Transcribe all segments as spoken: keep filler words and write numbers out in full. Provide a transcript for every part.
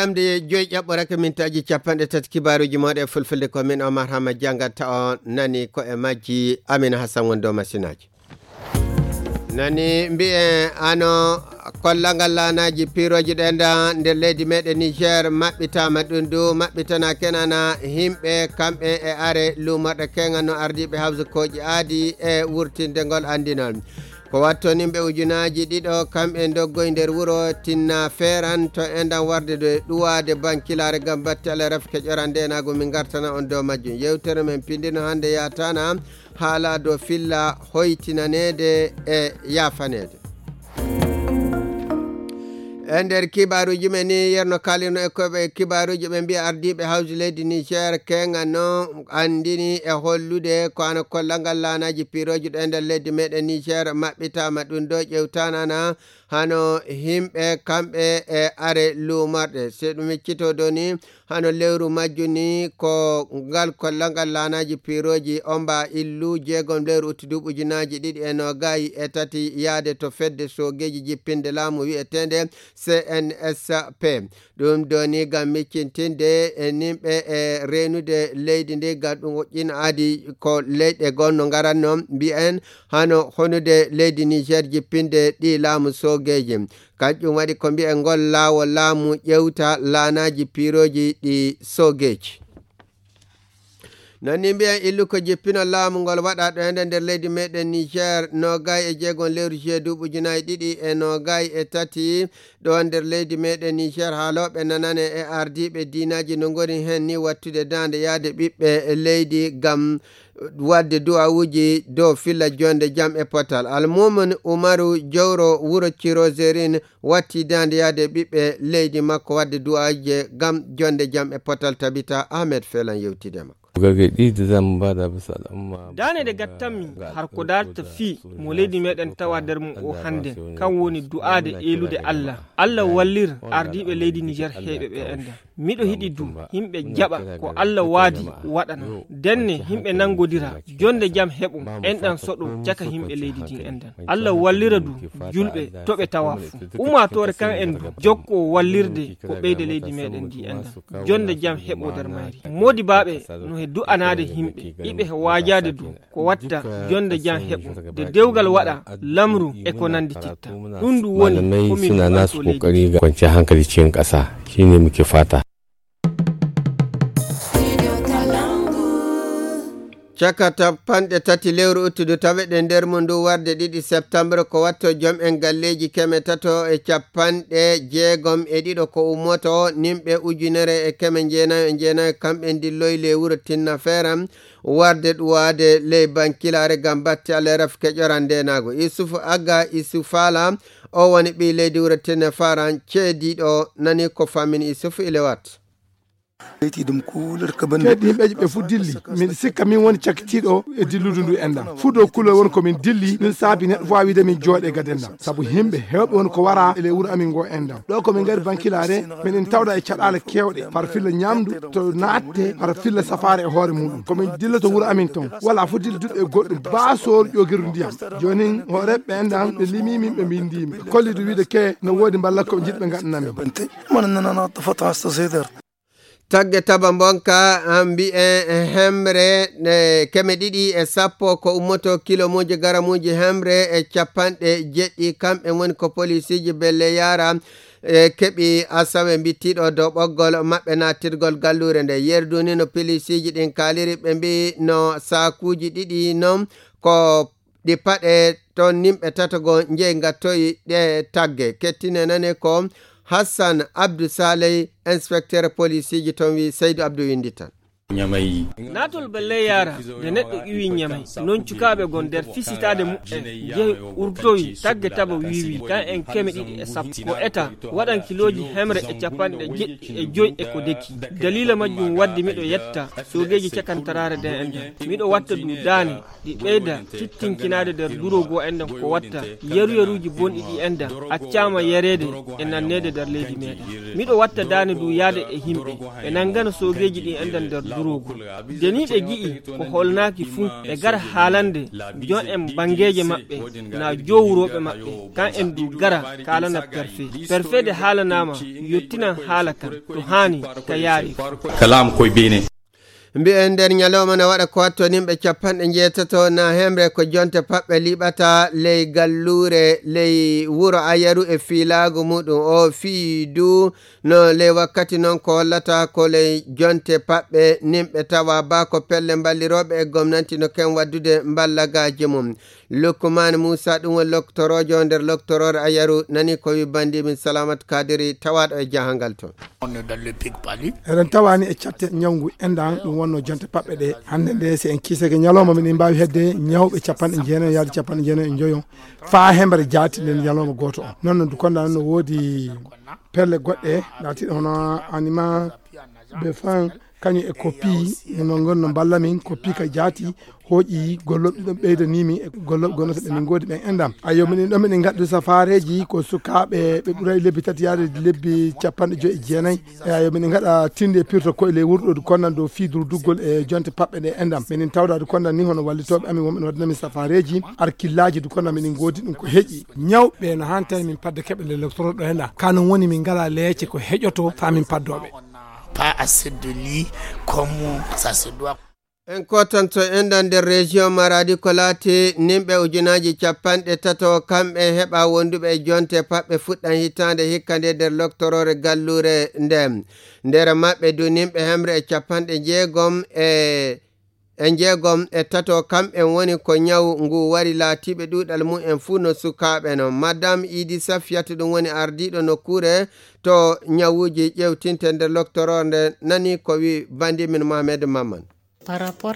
Lamde joyi ƴaɓɓorake mintaaji capanɗe tati kibaaruuji mooɗon e fulfulde, ko min Omar Hama janngata on nani ko e majji. Amina Hassan woni dow masinaaji. Nani mbiyen ano kollal ngal laanaaji piirooji ɗen ɗan nder leydi meɗen Niger maɓɓitaama, ɗum du maɓɓitana kenana yimɓe kamɓe e are luumorɗe kenga no ardiiɓe hawsukooji aadi e wurtinde ngol anndinol. Ko watto nimɓe ujunaaji ɗiɗo kamɓe ndoggoy nder wuro Tinna Feeran to enɗan warde ɗo e ɗuwaade bankilaare ngam batte Alla rafi keƴoran ndeenaagu, min ngartana on dow majjum. Yewtere men pindino hannde yaatana haala dow filla hoytinaneede e yaafaneede. E nder kibaaruuji men ni, yerno kaalino e koɓe kibaaruuji ɓe mbiya ardiiɓe hawji leydi Niger kenga no anndini e hollude ko ano kollal ngal laanaaji piirooji ɗo e nder leydi meɗen Niger maɓɓitaama, ɗum ɗo ƴewtanana hano yimɓe kamɓe e are luumorɗe. Se ɗum miccito ɗo ni, hano lewru majju ni ko ngal kollal ngal laanaaji piirooji omba illu jeegom lewru utti duuɓi ujunaaji ɗiɗi e noogay e tati yaade to fedde soogeeji jippinde laamu wi'eteende C N S P. Ɗum ɗo ni ngam miccintinde e nimɓe e reenude leydi ndi, ngam ɗum woƴƴina aadi ko leyɗe goo no ngaranno mbiyen hano honude leydi Niger jippinde ɗi laamu soogeeji. Kanƴum waɗi ko mbiyen ngol laawol laamu ƴewta laanaaji piirooji ɗi soogeeji. Non ni mbiyen illu ko jippino laamu ngol waɗa ɗo hende nder leydi meɗen Niger, noogay e jeegom lewru juillet duuɓi ujunaaji ɗiɗi e noogay e tati, ɗo nder leydi meɗen Niger, haalooɓe nanane e ardiiɓe diinaaji no ngoni hen ni wattude daande yaade ɓiɓɓe leydi ngam wadde du'awuuji dow filla jonde jam e potal. Almumin Umaru, jowro wuro Cirozerin, watti daande yaade ɓiɓɓe leydi makko wadde du'aaje ngam jonde jam e potal. Tabita Ahmed Felan yewtide makko. Gargaɗi da zan ba da bisa al'umma. Daane ɗe gattanmi har ko darta fii mo leydi meɗen tawa nder mum o hannde, kan woni du'aade eelude Allah. Allah wallir ardiiɓe leydi Niger heeɓe ɓe enda. Miɗo hiɗi du yimɓe jaɓa ko Allah waadi waɗana. Denne yimɓe nanngodira, jonde jam heɓo, enɗan soɗo caka yimɓe leydi din endan. Allah wallira du julɓe to ɓe tawa fu. Ummaatoore kan en du jokko wallirde ko ɓeyda leydi meɗen ndi endan. Jonde jam heɓo nder mayri. Moodibaaɓe no he du'anaade yimɓe, iɓe he waajaade du ko watta jonde jam heɓo. De dewgal waɗa, lamru e ko nandi titta. Ɗum du woni ko min suna nasu kokari ga kwanciyar hankali cikin ƙasa. Shine muke fata. Caka capanɗe tati lewru uttudu taweɗen nder mum ndu warde ɗiɗi septembre, ko watto jom en galleeji keme tato e capanɗe jeegom e ɗiɗo ko ummoto, nimɓe ujunere e keme jeenayo e jeenayo, kamɓe ndilloyi le wuro Tinna Feeram, warde ɗuwaade ley bankilaare ngam batte Alla e rafi keƴoran ndeenaagu. Isufu Aga Isufaala, o woni ɓii leydi wuro Tinna Feeram, ceediiɗo nani ko famini Isufu Ilewat. Kadi yimɓeeji ɓe fof dilli. Miɗo sikka min woni cakkitiiɗo e dilludu ndu enɗam. Fuɗo kulol woni ko min dilli, ɗum saabi neɗɗo fof wiide min jooɗe gade enɗam. Sabu yimɓe heewɓe woni ko wara e ley wuro amin ngo enɗam. Ɗo ko min ngari bankilaare, miɗen tawda e caɗaale keewɗe, par filla ñaamdu, to naatte, par filla safaare e hoore muɗum. Ko min dilloto wuro amin toon. Wala fof dilluduɗo e goɗɗum, baa soor ƴoogirdu ndiyam. Jooni, hooreeɓe ɓe enɗam, ɓe limii min, ɓe mbinndii min. Ɓe kolli ɗum wiide ke no woodi mballa ko jiɗɓe ngaɗana min. Tagge taba mbonka, ah, mbi'e hemre, eh, keme ɗiɗi e sappo ko ummoto kilomuuji garamuuji hemre e capanɗe jeɗɗi. Kamɓe woni ko polisiiji Belle Yara, eh, keɓi asawe mbittiiɗo dow ɓoggol maɓɓe nattirgol galluure nde. Yerdu ni no polisiiji ɗin kaaliri, ɓe mbi no saakuuji ɗiɗi non ko ɗi paɗe toon nimɓe tato goo njeyi ngattoyi ɗe tagge. Kettine nane ko Hassan Abdou Saleh, inspecteur polisiiji toon wi Seydou Abdou winndi tan. Naatol Belle Yara nde neɗɗo iwi Ñamay, noon cukaaɓe gon nder fisitaade muɓɓen njehi urtowi tagge taba wiwi kan en keme ɗiɗi e sappo. Ko eta waɗan kilooji hemre e capanɗe jeɗɗi e joyi e ko deki. Daliila majjum waddi miɗo yetta soogeeji cakantaraare nde enɗam. Miɗo watta ɗum daane ɗi ɓeyda tittinkinaade nder duroogu enɗam ko watta yaruyaruuji bonɗi ɗi enɗam accaama yareede e nanneede nder leydi meɗen. Miɗo watta daane du yaade e yimɓe ɓe nanngana soogeeji ɗi enɗam nder Jeniiɓe gi'i ko holnaaki fuu, ɓe gara haalande jon en banngeeje maɓɓe, naa jowrooɓe maɓɓe, kan en du gara kaalana perfe. Perfe de haalanaama, yottinan haala kan, to haani ka yaari. Kalaam koye beene. Mbi'en nder ñalawma na waɗa ko watto nimɓe capanɗe njeetato na hemre ko jonte paɓɓe liɓata ley galluure, ley wuro Ayaru e fiilaagu muɗum. O fii du no ley wakkati noon ko hollata ko ley jonte paɓɓe nimɓe tawa ba ko pelle mballirooɓe e gomnanti no ken waddude mballagaaji mum. Lukman Muusa, ɗum woni loktoroojo nder loktoroore Ayaru, nani ko wi banndiimin Salamat Kadiri, tawaaɗo e jahangal toon. On est dans le pic palu. Eɗen tawaani e catte ñawngu enɗan, ɗum wonno jonte paɓɓe ɗe. Hannde nde, si en kiisake ñalawma, miɗen mbaawi hedde ñawɓe capanɗe jeenayi yaade capanɗe jeenayi e njoyo. Faa hemre jaati nden ñalawma gooto on. Noon no du konda no woodi pelle goɗɗe, laatiiɗe hono anima, be fan, kañum e koppi, no ngon no mballa min, koppi ka jaati, hooƴi golloɓe ɗiɗon ɓeydanii min e golloɓe gonnoto ɓe min ngoodi ɓen enɗam. Ayo, minen ɗo minen ngaddu safaareeji ko sukaaɓe ɓe ɓuray lebbi tati yaade lebbi capanɗe joyi e jeenayi. E ayo, minen ngaɗa tinde pirto koye ley wurɗo du konnan dow fii durduggol e jonte paɓɓe ɗe enɗam. Minen tawda du konnan ni hono wallitooɓe amin wonɓe no waddana min safaareeji, arkillaaji du konnan minen ngoodi ɗum ko heƴi. Ñawɓe no hantani min padde keɓe le docteur ɗo enɗam. Kanon woni min ngala leece ko heƴoto faa min paddooɓe. Pas assez de lits comme ça se doit. En kotanto enɗan nder région Maradi ko laati nimɓe ujunaaji capanɗe tato kamɓe heɓa wonduɓe e jonte paɓɓe fuɗɗan hitaande hikka nde nder loktoroore galluure nde. Nder maɓɓe du nimɓe hemre e capanɗe jeegom e, e jeegom e tato kamɓe woni ko ñaw ngu wari laatiiɓe ɗuuɗal mum en fuu no sukaaɓe no. Madame Idi Safiyatu ɗum woni ardiiɗo nokkuure to ñawuuji ƴewtinte nder loktoroore nde nani ko wi bandimin Mohamed Maman.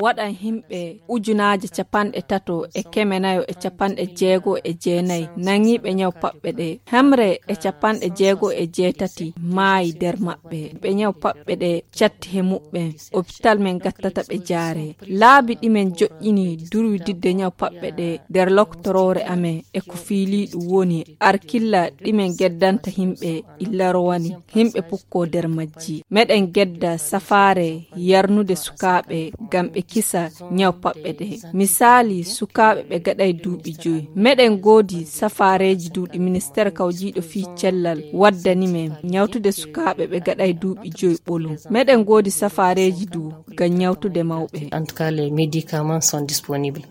Waɗan himɓe ujunaaje capanɗe tato e keme nayo e capanɗe jeego e jeenayi naŋiiɓe ñaw paɓɓe ɗe. Hemre e capanɗe jeego e jeetati maayi nder maɓɓe. Ɓe ñaw paɓɓe ɗe catti he muɓɓen. Opital men gattata ɓe jaare. Laabi ɗi men joƴƴini durwididde ñaw paɓɓe ɗe nder loktoroore amen e ko fiiliiɗum woni arkilla ɗi men geddanta himɓe illa rowani. Himɓe pukkoo nder majji. Meɗen gedda safaare yarnude sukaaɓe ngam ɓe kisa ñaw paɓɓe ɗe. Misaali, sukaaɓe ɓe gaɗay duuɓi joyi. Meɗen ngoodi safaareeji du ɗi ministeer kawjiiɗo fii cellal waddani men ñawtude sukaaɓe ɓe gaɗay duuɓi joyi ɓolum. Meɗen ngoodi safaareeji du ngam ñawtude mawɓe. En tout cas, les médicaments sont disponibles.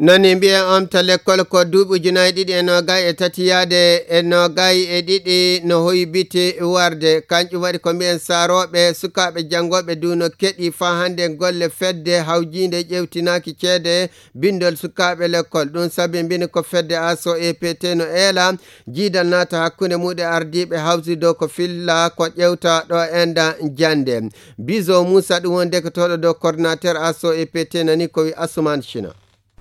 Nani mbiyen omta lekkol ko duuɓi ujunaaji ɗiɗi e noogay e tati yaade e noogay e ɗiɗi no hoybiti warde. Kanƴum waɗi ko mbiyen saarooɓe, sukaaɓe janngooɓe du no keɗi faa hannde golle fedde hawjiinde ƴewtinaaki ceede binndol sukaaɓe lekkol. Ɗum sabi mbini ko fedde aso E P T no eela jiidal naata hakkunde muuɗe ardiiɓe hawsi dow ko filla ko ƴewta ɗo enda jannde. Bizo Moussa ɗum woni dekotooɗo dow coordinateur aso E P T nani ko wi Asuman China.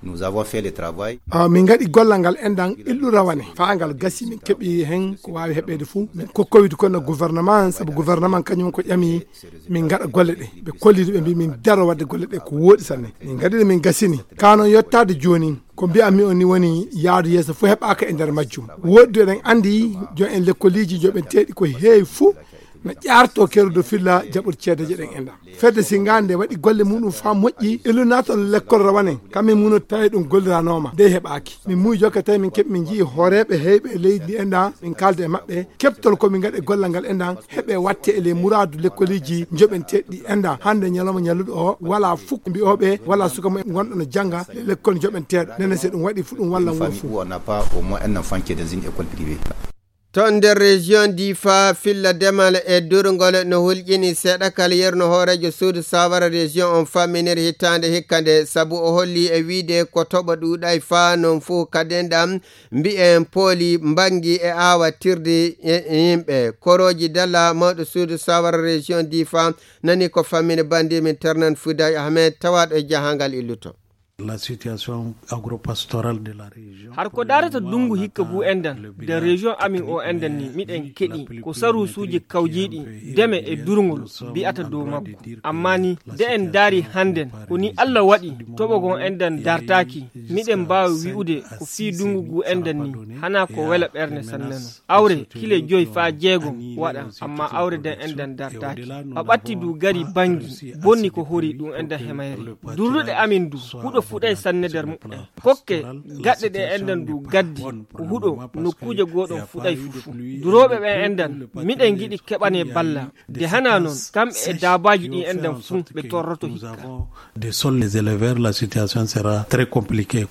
Nous avons fait le travail. Ah, min ngaɗi gollal ngal enɗan illu rawane. Faa ngal gasi min keɓi hen ko waawi heɓeede fuu. Min kokkowidi kono gouvernement, sabu gouvernement kañum ko ƴami min ngaɗa golle ɗe. Ɓe kollidi ɓe mbi min daro waɗde golle ɗe ko wooɗi sanne. Min ngaɗi ɗe min gasini. Kano yottaade jooni, ko mbi'anmi on ni woni yaadu yeeso fof heɓaaka e nder majjum. Wooɗi du eɗen anndi jon en lekkoliji joɓenteeɗi ko heewi fuu na ƴaarto kerudo filla jaɓude ceedeje ɗen enɗan. Fedde Singa nde waɗi golle muɗum faa moƴƴi, illu naatol lekkol rawane, kamɓe muno tawi ɗum golliranooma, dey heɓaaki. Min muuyi jokke tawi min keɓi min njii hooreeɓe heyɓe e leydi ndi enɗan, min kaalda e maɓɓe, keɓtol ko min ngaɗi e gollal ngal enɗan, heɓe watte e ley muraadu lekkoliji joɓenteeɗi enɗan. Hannde ñalawma ñalluɗo o, walaa fuk mbi'ooɓe, walaa suka mo gonɗo no jannga, le lekkol joɓenteeɗo. Nene se ɗum waɗi fu ɗum wallan wuro fuu. Où on n'a pas au moins un enfant qui est dans une école privée. Toon nder région Difa, filla demal e durngol no hulƴini seeɗa kala yerno hooreejo suudu sawara région on famminir hitaande hikka nde, sabu o holli e wiide ko toɓo ɗuuɗay faa non fuu kaden ɗam mbi'en pooli mbangi e aawa tirdi e yimɓe. Korooji Dalla, mawɗo suudu sawara région Difa, nani ko fammini banndi min Ternan Fuday Ahmed, tawaaɗo e jahangal illuto. La situation agro-pastorale de la région. Har ko daarata dungu hikka gu enɗan, de région amin o enɗan ni, miɗen keɗi ko sarusuuji kawjiiɗi, deme e durngol, mbi'ata dow makko. Amma ni, de en daari hannden, ko ni Allah waɗi, toɓo gon enɗan dartaaki, miɗen mbaawi wi'ude ko fii dungu gu enɗan ni, hanaa ko wela ɓernde sanne non. Awre kile joy faa jeegom waɗa, amma awre den enɗan dartaaki. Ɓaɓatti du gari bangi, bonni ko hori ɗum enɗan hemayre. Durluɗe amin du, huɗo fuɗay sanne nder muɓɓen. Kokke gaɗɗe ɗe enɗan du gaddi, ko huɗo nokkuuje gooɗon fuɗay fufu. Durooɓe ɓen enɗan, miɗen giɗi keɓane balla. De hanaa non, kamɓe e daabaaji ɗin enɗan fuu ɓe torroto hikka. Des sols, les éleveurs, la situation sera très compliquée.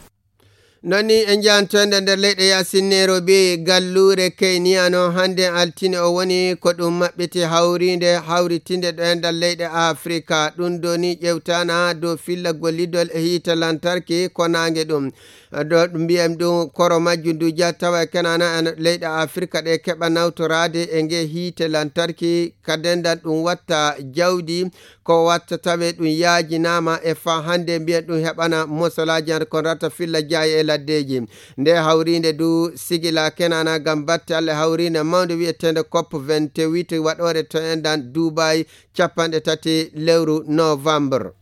Noon ni en njahantoyde nder leyɗe Yaasin Nairobi, galluure Kenya no hannde altine o woni ko ɗum maɓɓiti hawriinde hawritinde ɗo e nder leyɗe Afrika. Ɗum ɗo ni ƴewtaana dow filla gollidol e hiite lantarki ko naange ɗum. Ɗo ɗum mbiyen ɗum koro majjum ndu jaa tawa e kenaana e leyɗe Afrika ɗe keɓa nawtoraade e nge hiite lantarki ka dendal ɗum watta jawdi ko watta tawe ɗum yaajinaama e faa hannde mbiyen ɗum heɓana mosolaaji hannde kono rata filla jaayi e laddeeji. Nde hawriinde du sigila kenaana ngam batte Alla hawriinde mawnde wiyeteende cop vingt-huit waɗoore to enɗan Dubai capanɗe tati lewru novembre.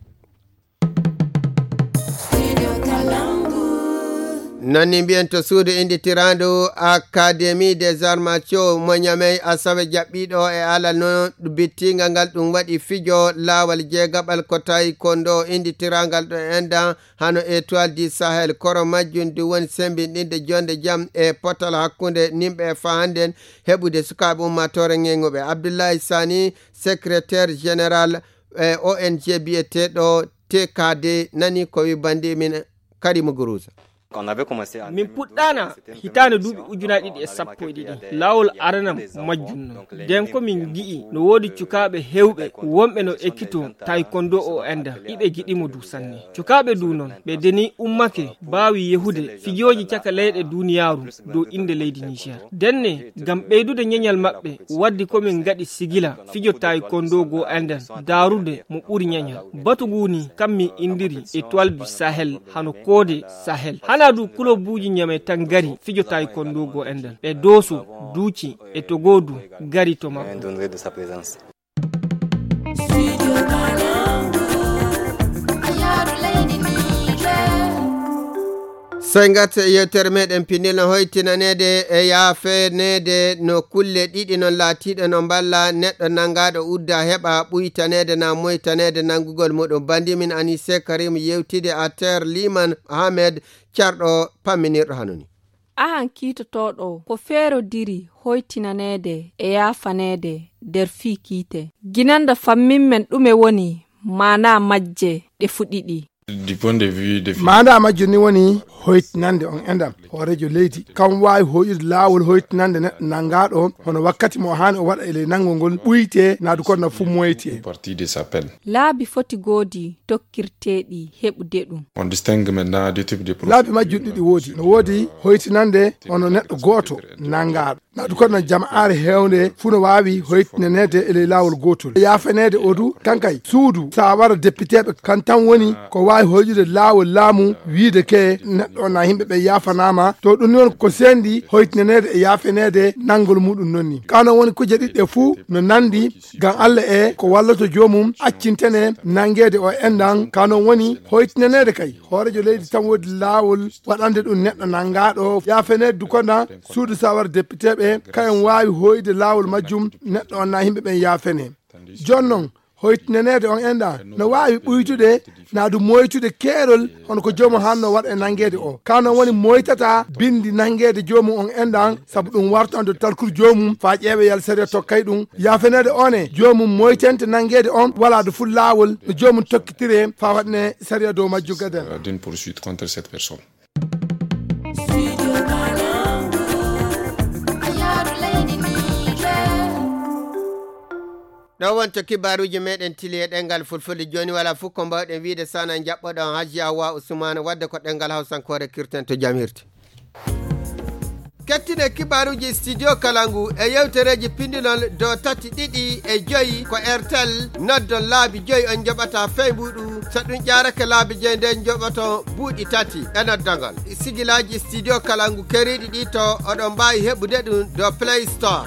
Noon ni mbiyen to suudu innditiraandu Académie des Arts Martiaux mo Ñamey asawe jaɓɓiiɗo e alal no bittingal ngal ɗum waɗi fijo laawal jeegaɓal ko taekwondo innditiraangal ɗo enɗan hano Étoile du Sahel koro majjum du woni sembinɗinde jonde jam e potal hakkunde nimɓe e fahannden heɓude sukaaɓe ummaatoore ŋeŋuɓe. Abdoulaye Sani, secrétaire général e O N G biyeteeɗo T K D nani ko wi bandi min Karimu Guruza. Min puɗɗaana hitaande duuɓi ujunaaji ɗiɗi e sappo e ɗiɗi. Laawol aranam majjum non. Nden ko min ngi'i no woodi cukaaɓe heewɓe wonɓe no ekkito taekwondo o enɗan. Iɓe giɗi mo du sanne. Cukaaɓe du non, ɓe deni ummake baawi yehude fijooji caka leyɗe duniyaaru dow innde leydi Niger. Denne, ngam ɓeydude ñeñal maɓɓe, waddi ko min ngaɗi sigila fijo taekwondo go enɗan, daarude mo ɓuri ñeñal. Batu ngu ni, kam min inndiri Étoile du Sahel, hano koode Sahel. Hanaa du kulobuuji Ñamey tan ngari fijo taekwondo go enɗan. Ɓe Dooso, Duuci e Togo du ngari to makko. Sey ngarten e yewtere meɗen pinndil no hoytinaneede e yaafeneede no kulle ɗiɗi non laatiiɗe no mballa neɗɗo nanngaaɗo udda heɓa ɓuytaneede na moytaneede nanngugol muɗum. Bandi min Anise Karim yewtide Ater Liman Ahmed carɗo pamminirɗo hano ni. Ahan kiitotooɗo ko feerodiri hoytinaneede e yaafaneede nder fii kiite. Ginanda fammin men ɗume woni maanaa majje ɗe fu ɗiɗi. Maanaa majje ni woni hoytinande on enɗan hooreejo leydi. Kam waawi hoyude laawol hoytinande neɗɗo nanngaaɗo hono wakkati mo haani o waɗa e ley nanngol ngol ɓuyte naadu kono na fu moyte. Laabi foti goodi tokkirteeɗi heɓude ɗum. Laabi majjum ɗiɗi woodi. No woodi hoytinande hono neɗɗo gooto nanngaaɗo. Naadu kono na jama'aare heewnde fuu no waawi hoytinaneede e ley laawol gootol. Yaafeneede o du, kankay suudu saawara depiteeɓe kan tan woni ko waawi hoyude laawol laamu wiide ke neɗɗo on na yimɓe ɓe yaafanaama. To ɗum ni woni ko seendi hoytinaneede e yaafeneede nanngol muɗum non ni. Ka non woni kuje ɗiɗi ɗe fuu no nanndi ngam Alla e ko walloto joomum accintene nanngeede o enɗan. Ka non woni hoytinaneede kay. Hooreejo leydi tan woodi laawol waɗande ɗum neɗɗo nanngaaɗo yaafeneede du kono suudu saawara depiteeɓe kayen waawi hoyde laawol majjum neɗɗo on na yimɓe ɓen yaafene. Jooni non, hoytinaneede on enɗan no waawi ɓuytude na du moytude keerol hono ko joomum hanno waɗa e nanngeede o. Ka non woni moytata binndi nanngeede joomum on enɗan sabu ɗum wartande talkuru joomum faa ƴeewe yal sariya tokkay ɗum. Yaafeneede on e joomum moytente nanngeede on walaa du fuu laawol no joomum tokkitire faa waɗne sariya dow majjum gadan. D'une poursuite contre cette personne. Ɗo wonto kibaaruuji meɗen tili e ɗenngal fulfulde. Jooni walaa fof ko mbaawɗen wiyde so wonaa njaɓɓoɗon Hajji Awa Usmaan, waɗde ko ɗenngal hawsankoore kirten to jam hirti. Kettine kibaaruuji studio kala ngu e yewtereeji pindinol dow tati ɗiɗi e joyi ko Airtel. Noddon laabi joyi on njoɓata fey mbuuɗu. So ɗum ƴaarake laabi joyi nden njoɓoto buuɗi tati e noddagol. Sigilaaji studio kala ngu keriiɗi ɗi to oɗon mbaawi heɓude ɗum dow Play Store.